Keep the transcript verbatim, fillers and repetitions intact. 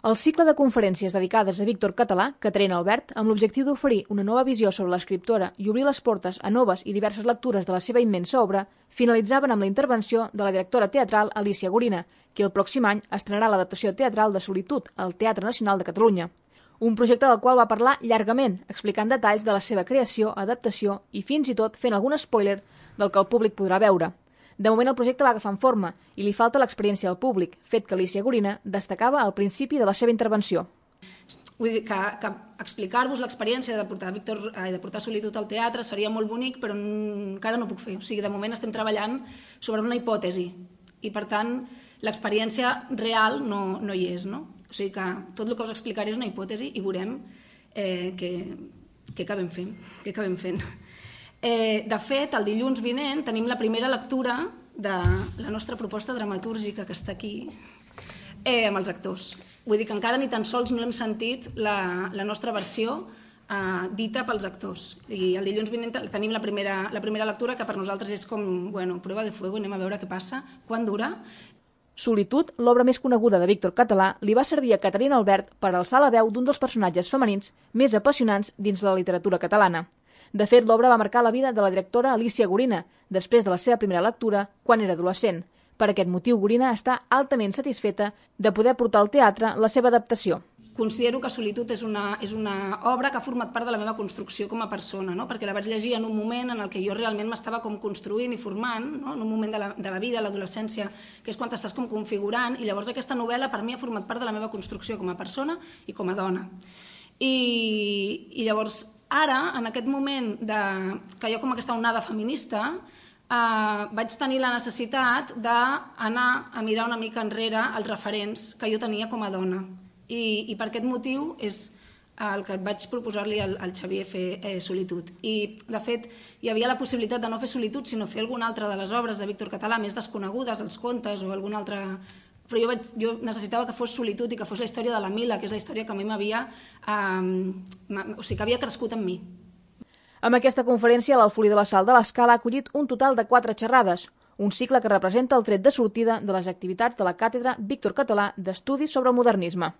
El cicle de conferències dedicades a Víctor Català, Caterina Albert, amb l'objectiu d'oferir una nova visió sobre l'escriptora i obrir les portes a noves i diverses lectures de la seva immensa obra, finalitzaven amb la intervenció de la directora teatral Alícia Gorina, qui el pròxim any estrenarà l'adaptació teatral de Solitud al Teatre Nacional de Catalunya. Un projecte del qual va parlar llargament, explicant detalls de la seva creació, adaptació i fins i tot fent algun spoiler del que el públic podrà veure. De moment el projecte va agafant forma i li falta l'experiència del públic, fet que Alícia Gorina destacava al principi de la seva intervenció. Vull dir que, que explicar-vos l'experiència de portar Víctor, eh, de portar Solitud al teatre seria molt bonic, però encara no puc fer. O sigui, de moment estem treballant sobre una hipòtesi i, per tant, l'experiència real no, no hi és, no? O sigui que tot el que us explicaré és una hipòtesi i veurem eh, què, què acabem fent. Què acabem fent. Eh, de fet, el dilluns vinent tenim la primera lectura de la nostra proposta dramatúrgica que està aquí eh, amb els actors. Vull dir que encara ni tan sols no hem sentit la, la nostra versió eh, dita pels actors. I el dilluns vinent tenim la primera, la primera lectura que per nosaltres és com, bueno, prova de fuego, anem a veure què passa, quan dura. Solitud, l'obra més coneguda de Víctor Català, li va servir a Caterina Albert per alçar la veu d'un dels personatges femenins més apassionants dins la literatura catalana. De fet, l'obra va marcar la vida de la directora Alícia Gorina, després de la seva primera lectura, quan era adolescent. Per aquest motiu, Gorina està altament satisfeta de poder portar al teatre la seva adaptació. Considero que Solitud és una, és una obra que ha format part de la meva construcció com a persona, no? Perquè la vaig llegir en un moment en el que jo realment m'estava com construint i formant, no? En un moment de la, de la vida, l'adolescència, que és quan t'estàs com configurant, i llavors aquesta novel·la per mi ha format part de la meva construcció com a persona i com a dona. I, i llavors, ara, en aquest moment de, que hi ha com aquesta onada feminista, eh, vaig tenir la necessitat d'anar a mirar una mica enrere els referents que jo tenia com a dona. I, i per aquest motiu és el que vaig proposar-li al, al Xavier fer eh, Solitud. I, de fet, hi havia la possibilitat de no fer Solitud, sinó fer alguna altra de les obres de Víctor Català més desconegudes, els contes o alguna altra... Però jo, vaig, jo necessitava que fos Solitud i que fos la història de la Mila, que és la història que a mi m'havia... Eh, o sigui, que havia crescut en mi. Amb aquesta conferència, l'Alfolí de la Sal de l'Escala ha acollit un total de quatre xerrades, un cicle que representa el tret de sortida de les activitats de la Càtedra Víctor Català d'Estudis sobre el Modernisme.